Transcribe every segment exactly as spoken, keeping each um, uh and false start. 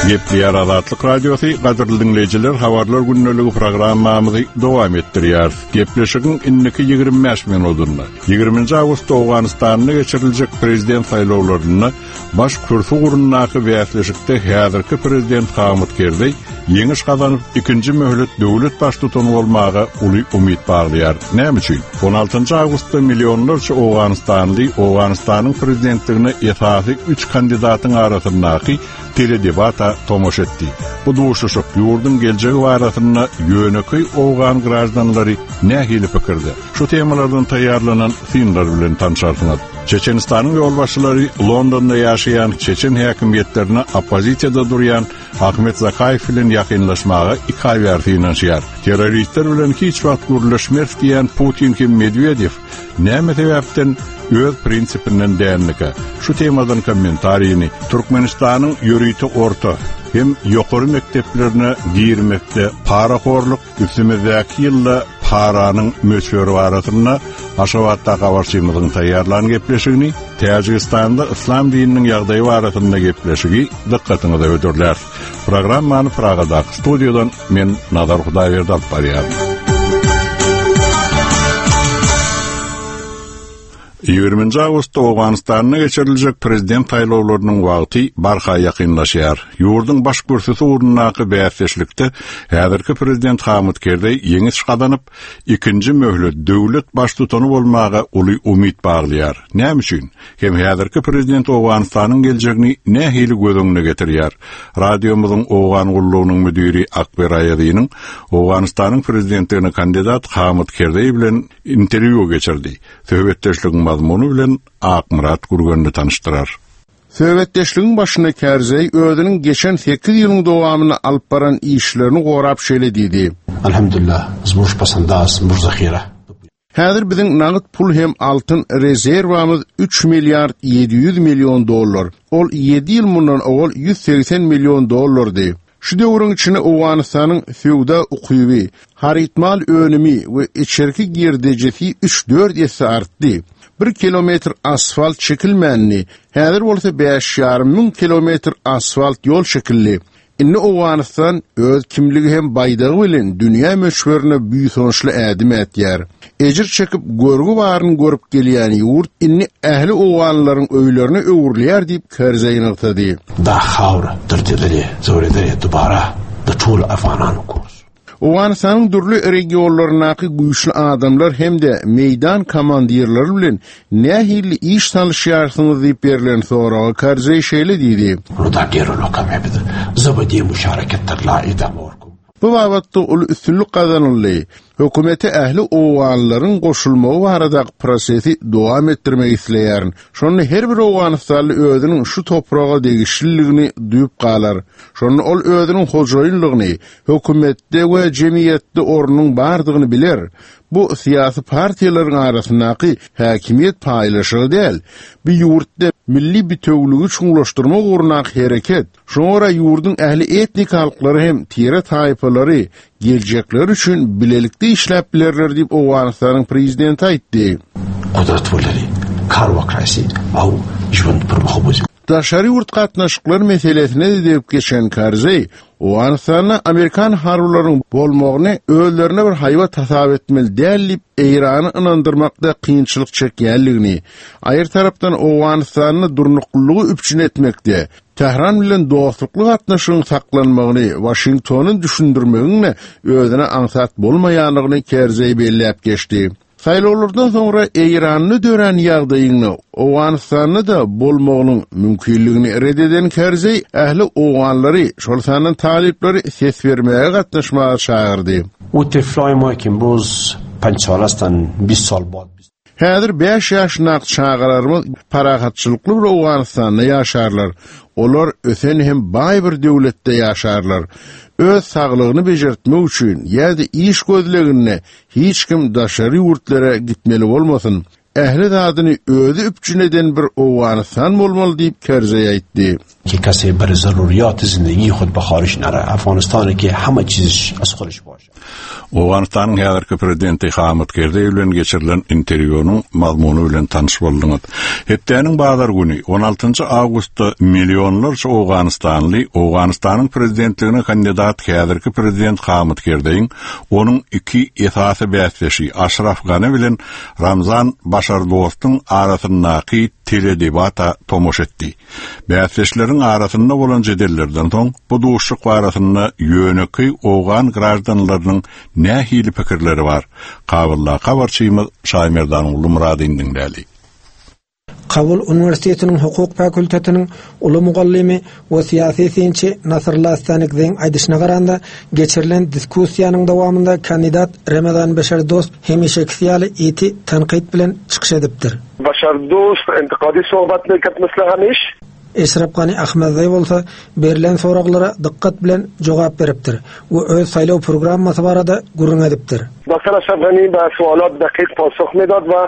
Gepleýär Azatlyk Radiosy, gadyrly diňleýjiler, habarlar gündeligi programmamyzy dowam etdirýär. Gepleşigiň indiki ýigrimi bäş minutynda ýigriminji awgustda Owganystanda geçiriljek prezident saýlawlarynda baş kürsi ugrundaky bäsleşikde häzirki prezident Hamid Kerzeý ýeňiş gazanyp ikinji möhlet döwlet baştutany bolmaga uly umyt baglaýar. Näme üçin? on altynjy awgustda millionlarça Owganystanly Owganystanyň prezidentligine esasy üç kandidatyň arasyndaky teledebata tomaşa etdi. Bu duşuşyk ýurduň geljegi barasynda ýönekeý Owgan graždanlary nähili pikirde? Şu temalardan taýýarlanan synlar bilen tanşarsyňyz. Çeçenistanyň ýolbaşçylary Londonda ýaşaýan Çeçen häkimiýetlerine oppozisiýada durýan Ahmet Zakaýew bilen ýakynlaşmaga iki aý bäri synanyşýar. Terroristler bilen hiç wagt gürleşmez diýen Putin hem Medwedew näme sebäpden öz prinsipinden dänlike? Şu temadan kommentaryny Türkmenistanyň ýörite orta hem ýokary mekdeplerine girmekde parahorluk üstümizdäki ýylda paranyň möçberi barasynda Aşgabatda habarçymyzyň taýýarlan gepleşigini, Täjigistanda islam dininiň ýagdaýy barasynda gepleşigi dykgatyňyza hödürler. Programmany Pragadaky studiýadan men Nazar Hudaýberdi alyp barýaryn. Ýigriminji awgustda Owganystanda geçiriljek prezident saýlawlarynyň wagty barha ýakynlaşýar. Ýurduň baş kürsüsi ugrundaky bäsdeşlikde häzirki prezident Hamid Kerzeý ýeňiş gazanyp, ikinji möhlet döwlet baştutany bolmaga uly umyt baglaýar. Näme üçin? Hem häzirki prezident Owganystanyň geljegini nähili göz öňüne getirýär? Radiomyzyň Owgan gullugynyň müdiri Akber Aýazynyň Owganystanyň prezidentligine kandidat Hamid Kerzeý bilen interwýu geçirdi. Söhbetdeşligiň mazmuny bilen Akmyrat Gürgenli tanışdyrar. Söhbetdeşligiň başynda Kerzeý özüniň geçen sekiz ýylyň dowamynda alyp baran işlerini gorap şeýle diýdi. Elhamdülillah, zmuş pasandaz, muş zahira. Häzir biziň nagt pul hem altyn rezerwamyz üç milliard ýedi ýüz million dollar. Ol ýedi ýyl mundan owal ýüz segsen million dollardy. Şu döwrüň içinde Owganystanyň söwda ukyby, harytmal önümi we içerki girdejesi üç dört esse artdy. Bir kilometr asfalt çekilmänni, häzir bolsa bäş ýarym müň kilometr asfalt ýol çekildi. Indi Owganystan öz kimligi hem baýdagy bilen dünýä möçberine buýsançly ädim ätýär. Ejir çekip görgi baryny görüp gelýän ýurt indi ähli Owganlaryň öýlerine öwrülýär diýip Kerzeý nygtady. Da khawra derdedeli, zöwredeli dubara da tul afanan kurs. Owganystanyň dürli regionlaryndaky güýçli adamlar hem-de meýdan komandirleri bilen nähili iş salyşýarsyňyz diýip berlen soraga Kerzeý şeýle diýdi. Ruda gerolo kamebid, zabadi müşareketler la idam orkum. Bu babatda uly üstünlik gazanyldy. Hökümete ähli Owganlaryň goşulmagy baradaky prosesi dowam etdirmek isleýärin. Şonda her bir Owganystanly özüniň şu topraga degişliligini duýup galar. Şonda ol özüniň hojaýynlygyny, hökümetde we jemgyýetde ornunyň bardygyny biler. Bu syýasy partiýalaryň arasyndaky häkimiýet paýlaşygy däl. Bu ýurtda milli bitewüligi çuňlaşdyrmak ugrundaky hereket. Şoňa görä ýurduň ähli etnik halklary hem tire taýpalary geljekleri üçin bilelikde işläp bilerler diýip Owganystanyň prezidenti aýtdy. Gudrat bolary, kar wakrasi, au jwend bir muhabbet. Daşary ýurt gatnaşyklar meselesine de degip geçen Kerzeý, Owganystanda Amerikan harbylarynyň bolmagyny özlerine bir haýbat hasap etmeli däl diýip Eýrany ynandyrmakda kynçylyk çekýänligini, aýry tarapdan Owganystanda durnuklylygy üpjün etmekde Tähran bilen dostlukly gatnaşygyň saklanmagyny Waşingtonyň düşündirmegiň özüne aňsat bolmaýanlygyny Kerzeý belläp geçdi. Saýlawlardan soňra Eýranda dörän ýagdaýyny Owganystanda da bolmagynyň mümkinligini red eden Kerzeý ähli Owganlary, şol sandan talyplary ses bermäge gatnaşmaga çagyrdy. U tiflay ma ki imroz panç sal astan, بیست sal bad. Häzir bäş ýaşyndaky çagalarymyz parahatçylykly bir Owganystanda ýaşarlar. Olar ösen hem baý bir döwletde ýaşarlar. Öz saglygyny bejertmek üçin ýa-da iş gözleginde hiç kim daşary ýurtlara gitmeli bolmasyn. ähli zadyny özi üpjün eden bir Owganystan bolmaly diýip Kerzeý aýtdy. که کسی بر ضروریات زندگی خود به خارج نره افغانستان که همه چیزش از خودش باشه. Owganystanyň häzirki prezidenti Hamid Kerzeý bilen geçirilen interwýunyň mazmuny bilen tanyş bolduňyz. Hepdäniň bazar güni on altynjy awgustda millionlarça Owganystanly Owganystanyň prezidentligine kandidat häzirki prezident Hamid Kerzeýiň onuň iki esasy bäsdeşi Aşraf Gani bilen Ramzan Başardostyň arasyndaky teledebata tomaşa etdi. Bäsdeşleriň arasynda bolan jedellerden soň bu duşuşyk arasynda ýönekeý Owgan graždanlarynyň nähili pikirleri bar? Kabulda habarçymyz Şaýmerdan Muradyň diňläli. Kabul Universitetiniň hukuk fakultetiniň uly mugallymy we syýasy synçy Nasrullah Stanikzeýiň aýdyşyna garanda geçirilen diskussiýanyň dowamynda kandidat Ramazan Beşardost hemişeki ýaly ýiti tanqid bilen çykyş edipdir. Beşardost intiqadi sohbat meked misli hemiş. Eşref Gani Ahmedzeý bolsa berilen soraglara dikkat bilen jogap beripdir we öz saýlaw programmasy barada gürrüň edipdir. Doktor Eşref Gani ba sualat daqiq pasukh medad we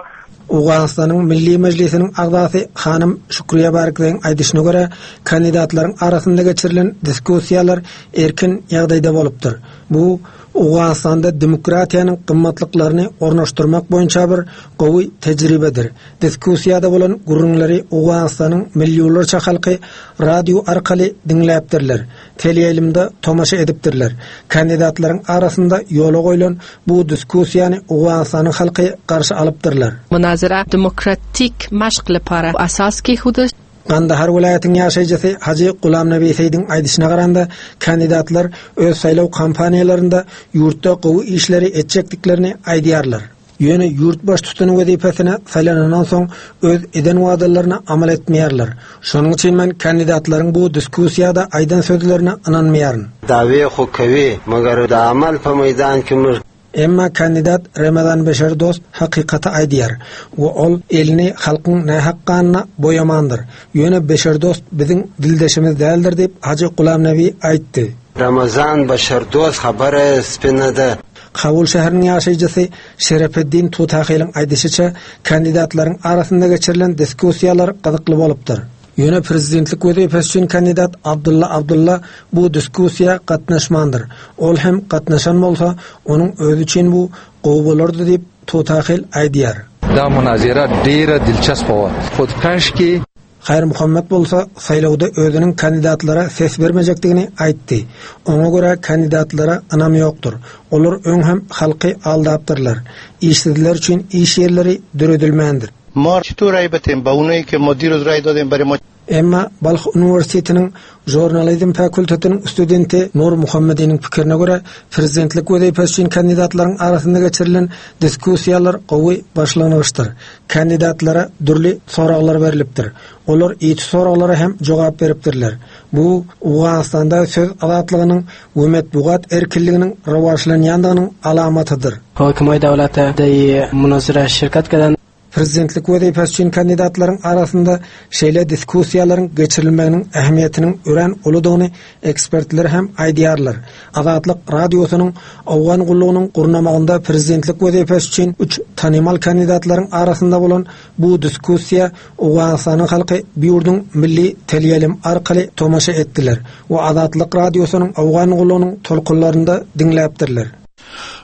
Owganystanyň Milli Mejlisiniň agzasy hanym Şükriye Barkzeýiň aýdyşyna görä kandidatlaryň arasynda geçirilen diskussiýalar erkin ýagdaýda bolupdyr. Bu Owganystanda demokratiýanyň gymmatlyklaryny ornaşdyrmak boýunça bir gowy tejribedir. Diskussiýada bolan gürrüňleri Owganystanyň millionlarça halky radio arkaly diňläpdirler, teleýaýlymda tomaşa edipdirler. Kandidatlaryň arasynda ýola goýlan bu diskussiýany Owganystanyň halky garşy alypdyrlar. Munazara demokratik maşk lepara asas ki huda Kandahar welaýatynyň ýaşaýjysy Hajy Gulamnabi Seýdiň aýdyşyna garanda kandidatlar öz saýlaw kampaniýalarynda ýurtda gowy işleri etjekdiklerini aýdýarlar. Ýöne ýurt baş tutany wezipesine saýlanandan soň öz eden wadalaryna amal etmeýärler. Şonuň üçin men kandidatlaryň bu diskussiýada aýdan sözlerine ynanmaýaryn. Dawe hukawi, magar da amal pa meýdan kimir. Emma kandidat Ramazan Beşardost hakykata aýdýar we ol elini halkyň nähak ganyna boýamandyr. Ýöne Beşardost biziň dildeşimiz däldir diýip Hajy Gulamnabi aýtdy. Ramazan Beşardost habary spinada. Kabul şäheriniň ýaşaýjysy Şerefeddin Tutahylyň aýdyşyça kandidatlaryň arasynda geçirilen diskussiýalar gyzykly bolupdyr. Ýöne prezidentlik wezipesi üçin kandidat Abdulla Abdulla bu diskussiýa gatnaşmandyr. Ol hem gatnaşan bolsa, onuň özi üçin bu gowy bolardy diýip Tutahyl aýdýar. Da munazara deýra dilçasp wa. Xudkaşki Hayr Muhammed bolsa saýlawda özüniň kandidatlara ses bermejekdigini aýtdy. Oňa görä kandidatlara ynam ýokdur. Olar öň hem halky aldapdyrlar. Işsizler üçin iş ýerleri döredilmändir. Ma çitur ray betim, ba unay ke ma diroz ray dodem bare ma Emma Balh Universitetiniň Jurnalizm fakultetiniň studenti Nur Muhammediniň pikirine görä prezidentlik wezipesi üçin kandidatlaryň arasynda geçirilen diskussiýalar gowy başlangyçdyr. Kandidatlara dürli soraglar berilipdir. Olar ýiti soraglara hem jogap beripdirler. Bu Owganystanda söz azatlygynyň we metbugat erkinliginiň rowaçlanýandygynyň alamatydyr. Hokimay dawlati munozara şirkat kadan Prezidentlik wezipesi üçin kandidatlaryň arasynda şeýle diskussiýalaryň geçirilmeginiň ähmiýetiniň örän uludygyny ekspertler hem aýdýarlar. Azatlyk radiosynyň Owgan gullugynyň gurnamagynda prezidentlik wezipesi üçin üç tanymal kandidatlaryň arasynda bolan bu diskussiýa Owganystanyň halky bu ýurduň milli teleýaýlym arkaly tomaşa etdiler we Azatlyk radiosynyň Owgan gullugynyň tolkunlarynda diňläpdirler.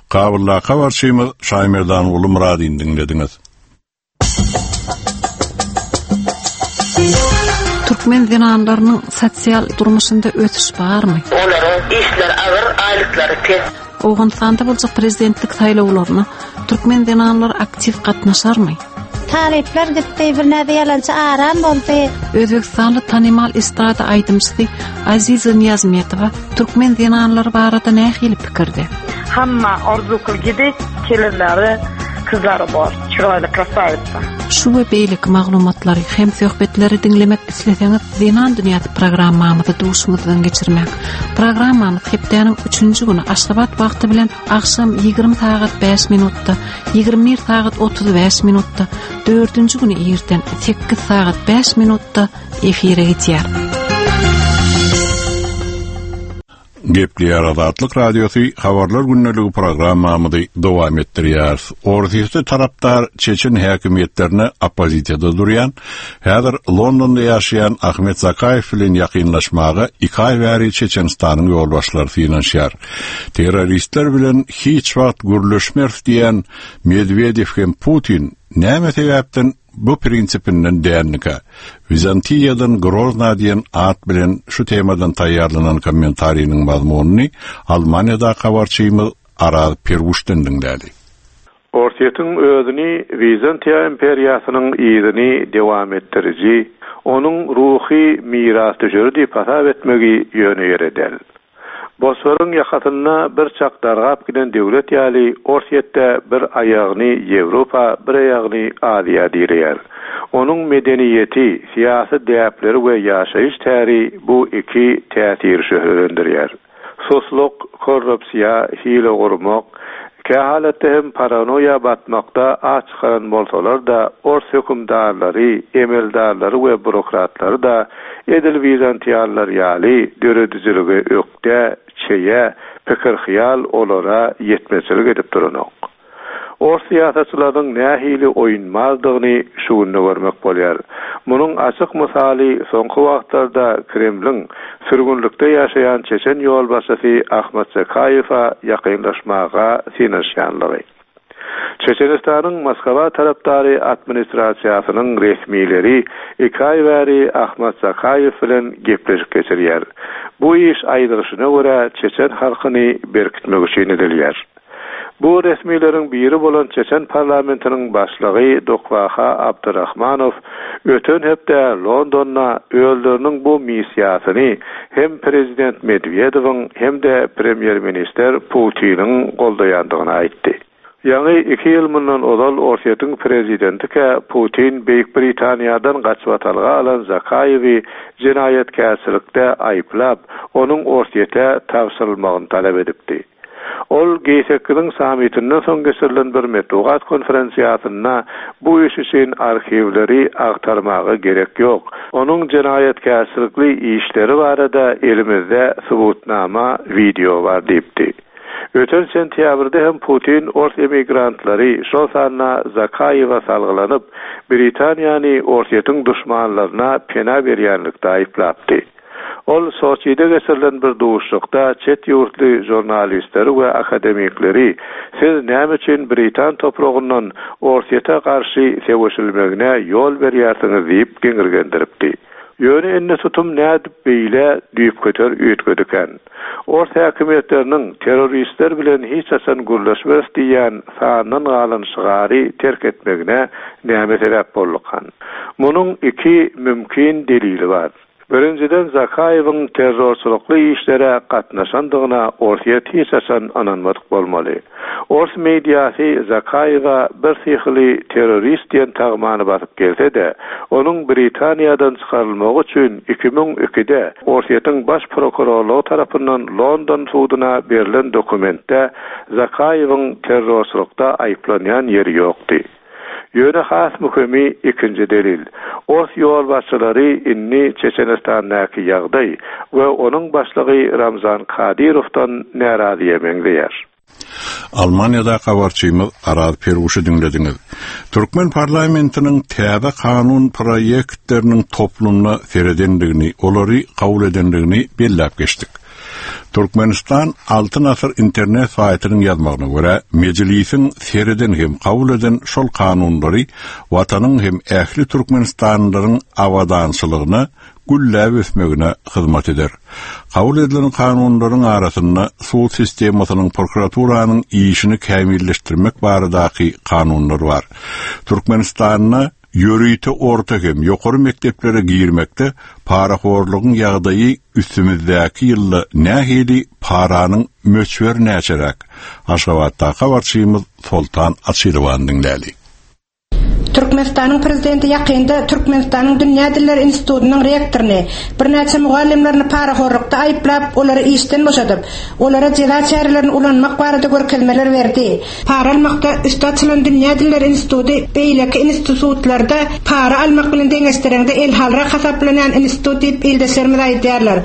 Kabulda habarçymyz Şaýmerdan Ulu Muradyny diňlediňiz. Türkmen zenanlarynyň sosial durmuşynda ösüş barmy? Olaryň işleri agyr, aýlyklary pes. Owganystanda boljak prezidentlik saýlawlaryna türkmen zenanlary aktiw gatnaşarmy? Talyplar gitdi, bir näde ýalançy aram boldy. Özbekistanly tanymal estrada aýdymçysy Aziza Niýazmetowa türkmen zenanlary barada nähili pikirde? Hamma arzu qilgidek kelinlari, qizlari bor, chiroyli krasavitsa. Şu we beýleki maglumatlary hem söhbetleri diňlemek isleseňiz, Zenan dünýäsi programmamyzy duşuňyzdan geçirmek. Programmamyz hepdäniň üçünji güni Aşgabat wagty bilen agşam ýigrimi sagat bäş minutda, ýigrimi bir sagat otuz bäş minutda, dördünji güni irden sekiz sagat bäş minutda efire gidýär. Gepleýär Azatlyk Radiosy Habarlar gündeligi programmamyzy dowam etdirýär. Orsýetde tarapdar Çeçen häkimiýetlerine oppozisiýada durýan, häzir Londonda ýaşaýan Ahmet Zakaýew bilen ýakynlaşmaga iki aý bäri Çeçenistanyň ýolbaşçylary synanyşýar. Terroristler bilen hiç wagt gürleşmeris diýen Medwedew hem Putin näme sebäpden bu prinsipinden dändikä? Wizantiýadan Grozna diýen at bilen şu temadan taýýarlanan kommentariniň mazmunyny Almaniýada habarçymyz Araz Perwuşdan diňläli. Orsýetiň özüni Wizantiýa imperiýasynyň yzyny dowam etdiriji, onuň ruhy mirasdüşeri diýip hasap etmegi ýöne ýere däl. Bosforyň ýakasynda bir çak dargap giden döwlet ýaly Orsýetde bir aýagyny Ýewropa, bir aýagyny Aziýa direýär. Onuň medeniýeti, syýasy däpleri we ýaşaýyş täri bu iki täsiri şöhlelendirýär. Susluk, korrupsiýa, hile gurmak, kähalatda hem paranoýa batmakda aç çykaran bolsalar-da, ors hökümdarlary, emeldarlary we bürokratlary-da edil wizantiýalylar ýaly döredijilige ökde, çeýe, pikir-hyýal olara ýetmezçilik edip duranok. Ors syýasatçylarynyň nähili oýunmazdygyny şu günde görmek bolýar. Munuň açyk mysaly soňky wagtlarda Kremliň sürgünlikde ýaşaýan Çeçen ýolbaşçysy Ahmet Zakaýewe ýakynlaşmaga synanyşýanlygy. Çeçenistanyň Moskwa tarapdary administrasiýasynyň resmileri iki aý bäri Ahmet Zakaýew bilen gepleşik geçirýär. Bu iş aýdylyşyna görä Çeçen halkyny berkitmek üçin edilýär. Bu resmileriň biri bolan Çeçen parlamentiniň başlygy Dokwaha Abdurrahmanow öten hepde Londonda özleriniň bu missiýasyny hem prezident Medwedewiň hem-de premýer-ministr Putiniň goldaýandygyny aýtdy. Ýaňy iki ýyl mundan ozal Orsýetiň prezidentike Putin Beýik Britaniýadan gaçybatalga alan Zakaýewi jenaýatkäçilikde aýyplap, onuň Orsýete tabşyrylmagyny talap edipdi. Ol G sekiziň sammitinden soň geçirilen bir metbugat konferensiýasynda bu iş üçin arhiwleri agtarmaga gerek ýok. Onuň jenaýatkäçilikli işleri barada elimizde subutnama video bar diýipdi. Öten sentýabrda hem Putin ors emigrantlary, şol sanda Zakaýewe salgylanyp, Britaniýany Orsýetiň duşmanlaryna pena berýänlikde aýyplapdy. Ol Soçide geçirilen bir duşuşykda çet ýurtly žurnalistleri we akademikleri siz näme üçin Britan topragyndan Orsýete garşy söweşilmegine ýol berýärsiňiz diýip geňirgendiripdi. Ýöne indi tutum nädip beýle düýpgöter üýtgedikän. Ors häkimiýetleriniň terroristler bilen hiç haçan gürleşmeris diýen sandan galan şygary terk etmegine näme sebäp boldukan? Munuň iki mümkin delili bar. Birinjiden Zakaýewiň terrorçylykly işlere gatnaşandygyna Orsýet hiç haçan ynanmadyk bolmaly. Ors mediasy Zakaýewe bir syhyly terrorist diýen tagmany basyp gelse-de, onuň Britaniýadan çykarylmagy üçin iki müň ikide Orsýetiň baş prokurorlygy tarapyndan London suduna berlen dokumentde Zakaýewiň terrorçylykda aýyplanýan ýeri ýokdy. Ýöne has möhümi ikinji delil. Ors ýolbaşçylary indi Çeçenistandaky ýagdaý we onuň başlygy Ramzan Kadyrowdan närazyýa meňzeýär. Almaniýada habarçymyz Araz Perwuşy diňlediňiz. Türkmen parlamentiniň täze kanun proýektleriniň toplumyna seredendigini, olary kabul edendigini belläp geçdik. Türkmenistan Altyn Asyr internet saýtynyň ýazmagyna görä, mejlisiň sereden hem kabul eden şol kanunlary watanyň hem ähli Türkmenistanlylaryň abadançylygyna, gülläp ösmegine hyzmat eder. Kabul edilen kanunlaryň arasynda sud sistemasynyň prokuraturanyň işini kämilleşdirmek baradaky kanunlar bar. Türkmenistanda ýörite orta hem ýokary mekdeplere girmekde parahorlugyň ýagdaýy üstümizdäki ýylda nähili paranyň möçberi näçeräk? Aşgabatdaky habarçymyz Soltan Açylowan diňläli. Türkmenistanyň prezidenti ýakynda Türkmenistanyň Dünýä Dilleri institutynyň rektoryny, birnäçe mugallymlaryny parahorlukda aýyplap, olary işden boşadyp, olara jeza çärelerini ulanmak barada görkezmeler berdi. Para almakda üsti açylan Dünýä Dilleri instituty beýleki institutlarda para almak bilen deňeşdireňde elhalrak hasaplanýan institut diýip ildeşlerimiz aýdýarlar.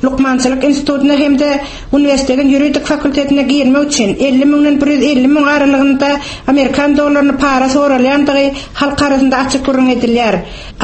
Lukmançylyk institutyna hem-de uniwersitetiň ýuridik fakultetine girmek üçin elli müňden bir ýüz elli müň aralygynda amerikan dollaryny para soralýandygy halk arasynda açyk gürrüň edilýär.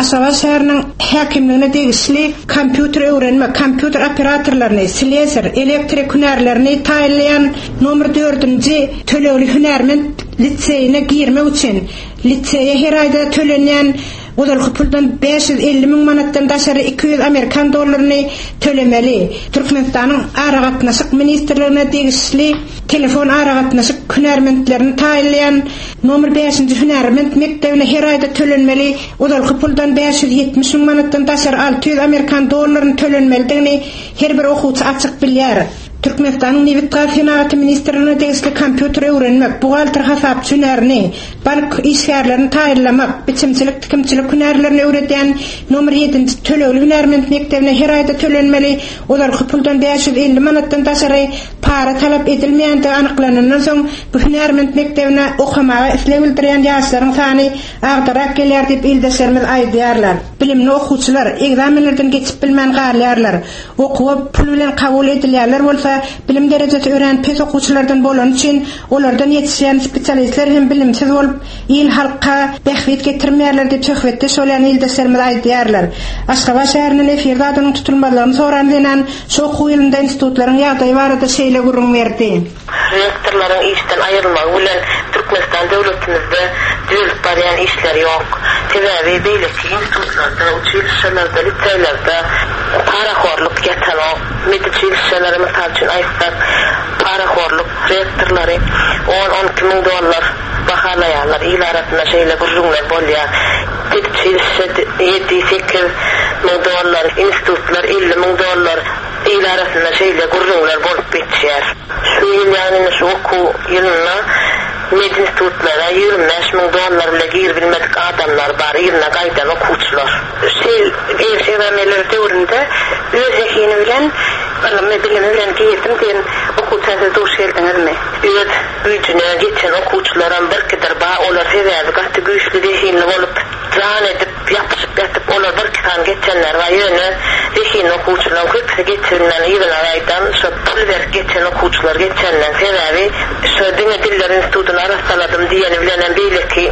Aşgabat şäheriniň häkimligine degişli kompýuter öwrenmek, kompýuter operatorlaryny, sleser, elektrik hünärlerini taýynlaýan nomer dördünji tölegli hünärment liseýine girmek üçin liseýe her aýda tölenýän ozalky puldan bäş ýüz elli müň manatdan daşary iki ýüz amerikan dollaryny tölemeli. Türkmenistanyň Aragatnaşyk ministrligine degişli telefon aragatnaşyk hünärmentlerini taýynlaýan nomer bäşinji hünärment mekdebine her aýda tölenmeli ozalky puldan bäş ýüz ýetmiş müň manatdan daşary alty ýüz amerikan dollaryny tölenmelidigini her bir okuwçy açyk bilýär. Türkmenistanyň Nebit-gaz senagaty ministrligine degişli kompýuter öwrenmek, buhgalter hasapçy hünärini, bank işgärlerini taýynlamak, biçimçilik, tikimçilik hünärlerini öwredýän nomer ýedinji tölegli hünärment mekdebine her aýda tölenmeli ozalky puldan bäş ýüz elli manatdan daşary para talap edilmeýändigi anyklanandan soň bu hünärment mekdebine okamaga isleg bildirýän ýaşlaryň sany agdarak gelýär diýip ildeşlerimiz aýdýarlar. Bilimli okuwçylar ekzamenlerden geçip bilmän galýarlar. Okuwa pul bilen kabul edilýärler bolsa, bilim derejesi örän pes okuwçylardan bolany üçin olardan ýetişýän spesialistler hem bilimsiz bolup, il halka bähbit getirmeýärler diýip söhbetdeş bolýan ildeşlerimiz aýdýarlar. Aşgabat şäherinden efirde adynyň tutulmazlygyny soran zenan şu okuw ýylynda institutlaryň ýagdaýy barada şeýle gürrüň berdi. Rektorlaryň işden aýrylmagy bilen Türkmenistan döwletimizde düzelip barýan işler ýok. Sebäbi beýleki institutlarda, uçilişelerde, liseýlerde parahorluk ýatanok. Meduçilişelere mysal üçin aýtsak, parahorluk rektorlary on-on iki müň dollar bahalaýarlar. Il arasynda şeýle gürrüňler bolýar. Meduçilişe ýedi, sekiz müň dollar, institutlar elli müň dollar. Il arasynda şeýle gürrüňler bolup geçýär. Şu ýyl, ýagny şu okuw ýylynda medinstitutlara ýigrimi bäş müň dollar bile girip bilmedik adamlar bar, ýylyna gaýdan okuwçylar. Şeýle ekzamenler döwründe öz zehini bilen, ylmy, bilimi bilen girdim diýen okuwça siz duş geldiňizmi? Öz güýjüne geçen okuwçylaram birkidir bar, olar sebäbi gaty güýçli zehinli bolup, jan edip, ýapyşyp ýatyp, olar bir iki sany geçenler bar. Ýöne zehinli okuwçylaryň köpüsi geçirilen ýylyna gaýdan, şo pul berip geçen okuwçylar geçenden sebäbi şo diňe diller institutyny arasaladym diýeni bilen hem beýleki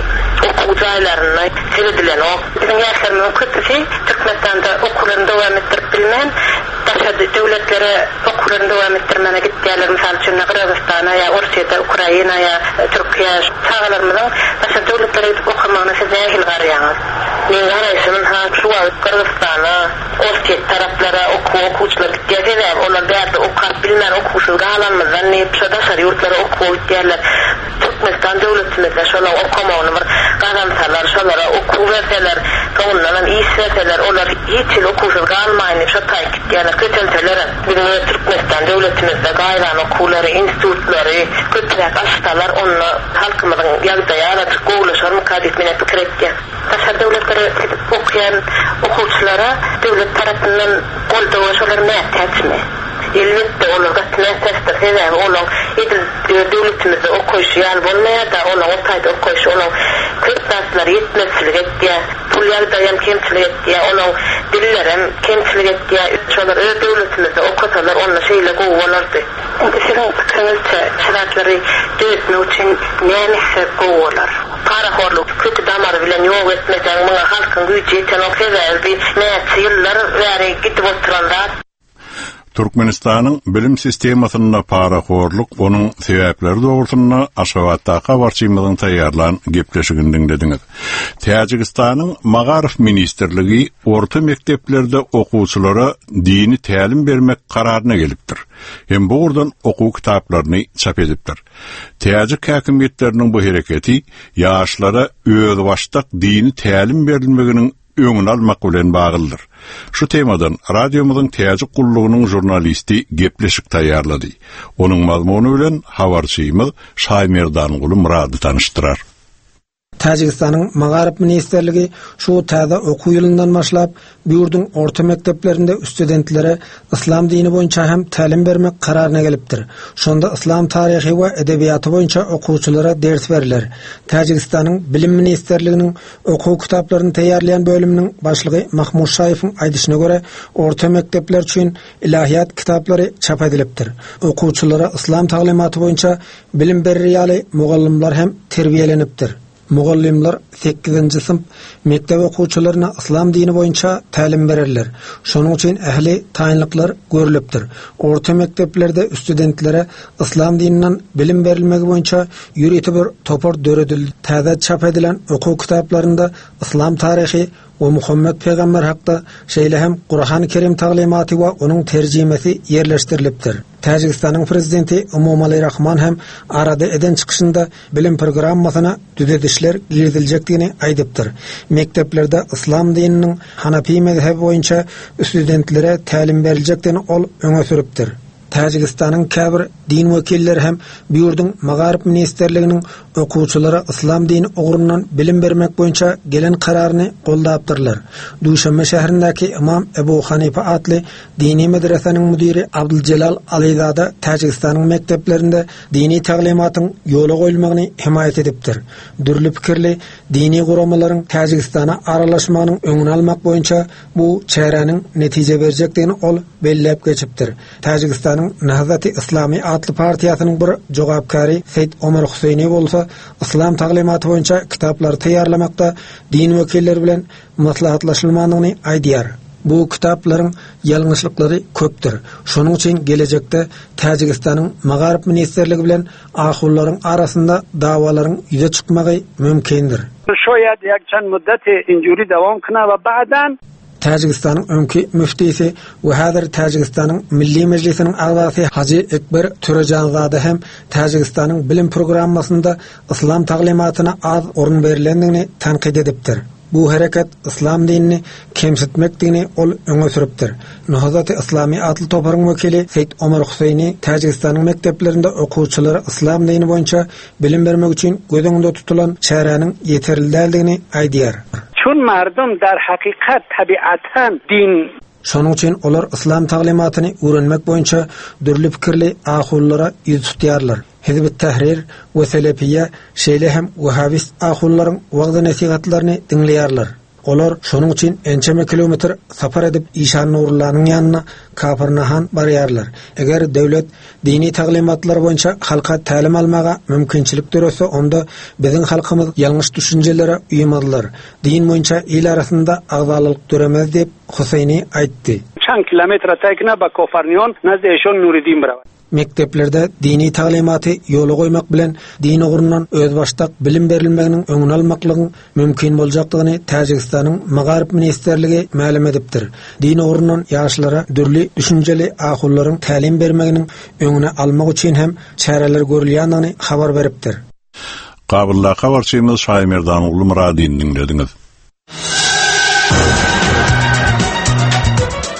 okuw jaýlarynda seredilenok. Biziň ýaşlarymyzyň köpüsi Türkmenistanda okuwlaryny dowam etdirip bilmän, daşary döwletlere okuwlaryny dowam etdirmäne gitýärler. Mysal üçin, Gyrgyzystana ýa Orsýete, Ukraina ýa Türkiýe. Çagalarymyzyň daşary döwletlere gidip okamagyna siz nähili garaýaňyz? Men garaýşym ha şu wagt Gyrgyzystana, Orsýet taraplara okuw okuwçylar gitýär. Sebäbi olar bärde okap bilmän okuwsyz galanymyzdan diýip şo daşary ýurtlara okuwa gitýärler. Türkmenistan döwletimizde şolar okamagyny bir gazansalar, şolara okuw berseler, soňundan hem iş berseler, olar hiç ýyl okuwsyz galmaýyn diýip şo taýyp gitýärler. Kötelseler biziň öz Türkmenistan döwletimizde gaýran okuwlary, institutlary köpräk açsalar, onda halkymyzyň ýagdaýy azajyk gowulaşarmyka diýip men pikir etýän. Daşary döwletlere gidip okuýan okuwçylara döwlet tarapyndan goldaw şolar mätäçmi? Elbetde olar gaty mätäçdir. Sebäbi olar edil döwletimizde okuwyşy ýaly bolmaýar da, olar o taýda okuwyşy, olar köp zatlar ýetmezçilik etýär. Pul ýagdaýam kemçilik etýär, olar dillerem kemçilik etýär. Şolar öz döwletimizde okusalar, onda şeýle gowy bolardy. Indi siziň pikiriňizçe şu zatlary düzetmek üçin näme etse gowy bolar? Parahorluk kötü damary bilen ýok etmeseň, muňa halkyň güýji ýetenok. Sebäbi näçe ýyllar bäri gidip oturan zat. Türkmenistanyň bilim sistemasynda parahorluk, onuň sebäpleri dogrusynda Aşgabatdaky habarçymyzyň taýýarlan gepleşigini diňlediňiz. Täjigistanyň Magaryf ministrligi orta mekdeplerde okuwçylara dini tälim bermek kararyna gelipdir. Hem bu ugurdan okuw kitaplaryny çap edipdir. Täjik häkimiýetleriniň bu hereketi ýaşlara özbaşdak dini tälim berilmeginiň öňüni almak bilen baglydyr. Şu temadan radiomyzyň Täjik gullugynyň žurnalisti gepleşik taýýarlady. Onuň mazmuny bilen habarçymyz Şaýmerdanguly Murady tanyşdyrar. Täjigistanyň Magaryf ministrligi şu täze okuw ýylyndan başlap bu ýurduň orta mekdeplerinde studentlere yslam dini boýunça hem tälim bermek kararyna gelipdir. Şonda yslam taryhy we edebiýaty boýunça okuwçylara ders beriler. Täjigistanyň Bilim ministrliginiň okuw kitaplaryny taýýarlaýan bölüminiň başlygy Mahmud Şaýewiň aýdyşyna görä, orta mekdepler üçin ilahiýat kitaplary çap edilipdir. Okuwçylara yslam taglymaty boýunça bilim berer ýaly mugallymlar hem terbiýelenipdir. Mugallymlar sekizinji synp mekdep okuwçylaryna yslam dini boýunça tälim bererler. Şonuň üçin ähli taýynlyklar görülipdir. Orta mekdeplerde studentlere yslam dininden bilim berilmegi boýunça ýörite bir topar döredildi. Täze çap edilen okuw kitaplarynda yslam taryhy we Muhammed peygamber hakda şeýle hem Kur'an-ı Kerim taglymaty we onuň terjimesi ýerleşdirilipdir. Täjigistanyň prezidenti Emomali Rahman hem arada eden çykyşynda bilim programmasyna düzedişler giriziljekdigini aýdypdyr. Mekdeplerde yslam dininiň Hanafi mezhebi boýunça studentlere tälim beriljekdigini ol öňe sürüpdir. Täjigistanyň käbir din wekilleri hem bu ýurduň Magaryf ministrliginiň okuwçylara yslam dini ugrundan bilim bermek boýunça gelen kararyny goldapdyrlar. Duşanbe şäherindäki Imam Ebu Hanife atly dini medreseniň müdiri Abdülcelal Alizada Täjigistanyň mekdeplerinde dini taglymatyň ýola goýulmagyny hemaýat edipdir. Dürli pikirli dini guramalaryň Täjigistana aralaşmagynyň öňüni almak boýunça bu çäräniň netije berjekdigini ol belläp geçipdir. Täjigistanyň Nahzati Islami atly partiýasynyň bir jogapkary Seýid Omar Huseýni bolsa yslam taglymaty boýunça kitaplary taýýarlamakda din wekilleri bilen maslahatlaşylmandygyny aýdýar. Bu kitaplaryň ýalňyşlyklary köpdür. Şonuň üçin gelejekde Täjigistanyň Magaryf ministrligi bilen ahullaryň arasynda dawalaryň ýüze çykmagy mümkindir. شاید یک چند مدت اینجوری دوام کنه و بعداً Täjigistanyň öňki müftisi we häzir Täjigistanyň Milli Mejlisiniň agzasy Hajy Ekber Törejanzade hem Täjigistanyň bilim programmasynda yslam taglymatyna az orun berilendigini tanqid edipdir. Bu hereket yslam dinini kemsitmekdigini ol öňe sürüpdir. Nahzati Islami atly toparyň wekili Seýid Omar Huseýni Täjigistanyň mekdeplerinde okuwçylara yslam dini boýunça bilim bermek üçin göz öňünde tutulan çäräniň ýeterli däldigini aýdýar. چون مردم در حقیقت طبیعتاً دین Şonuň üçin olar yslam taglymatyny öwrenmek boýunça dürli pikirli ahullara ýüz tutýarlar. Hizb Tahrir we Selefiýe şeýle hem Wahhabist ahullaryň wagyz-nesihatlaryny diňleýärler. Olar şonuň üçin ençeme kilometr sapar edip Işan Nurullanyň ýanyna Kafirnahan barýarlar. Eger döwlet dini taglymatlar boýunça halka tälim almaga mümkinçilik döretse, onda biziň halkymyz ýalňyş düşünjelere uýmazlar. Din boýunça il arasynda agzalyk döremez diýip Huseýni aýtdy. چند کیلومتر طی کنه به کافرنیان نزد ایشان نوریدین برود. Mekdeplerde dini taglymaty ýola goýmak bilen din ugrundan özbaşdak bilim berilmeginiň öňüni almaklygyň mümkin boljakdygyny Täjigistanyň Magaryf ministrligi mälim edipdir. Din ugrundan ýaşlara dürli düşünjeli ahullaryň tälim bermeginiň öňüni almak üçin hem çäreler görülýändigini habar beripdir. Kabulla habarçymyz Şaýmerdan Ulu Muradin diňlediňiz.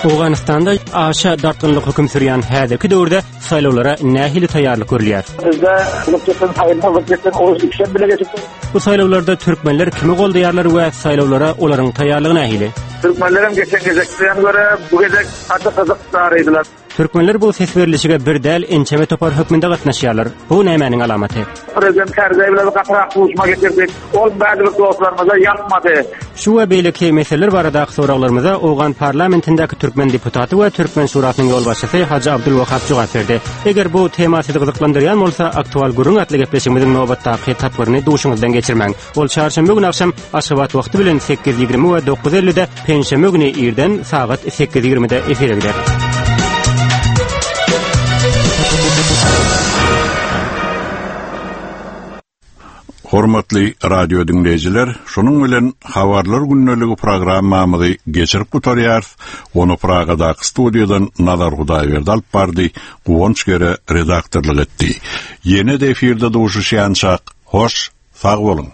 Owganystanda aşa dartgynlyk höküm sürýän häzirki döwürde saýlawlara nähili taýýarlyk görülýär? Bizde Bu saýlawlarda türkmenler kimi goldaýarlar we saýlawlara olaryň taýýarlygy nähili? Türkmenlerim geçen gezekden göre bu gezek gaty gyzykdardylar. Türkmenler bu ses berilişige bir däl ençeme topar hökmünde gatnaşýarlar. Bu nämäniň alamaty? Prezident Karzai bilen gatyrak duşma getirdik. Ol bäzi bir dostlarymyza ýakmady. Şu we beýleki meseleler baradaky soraglarymyza Owgan parlamentindäki türkmen deputaty we Türkmen şurasynyň ýolbaşçysy Hajy Abdulwahab jogap berdi. Eger bu tema sizi gyzyklandyrýan bolsa, aktual gürrüň atly gepleşigimiziň nobatdaky tapgyryny duşuňyzdan geçirmäň. Ol çarşenbe güni akşam Aşgabat wagty bilen sekiz ýigrimi we dokuz ellide, penşenbe güni irden sagat sekiz ýigrimide efire gider. Hormatly radio dinleýjiler, şonuň bilen Habarlar günlügi programmamyzy geçirip gutarýarys. Onu Pragadaky studiýadan Nazar Hudaýberdi alyp bardy, Guwanç Gere redaktorlyk etdi. Ýene de efirde duşuşýançak, hoş, sag boluň.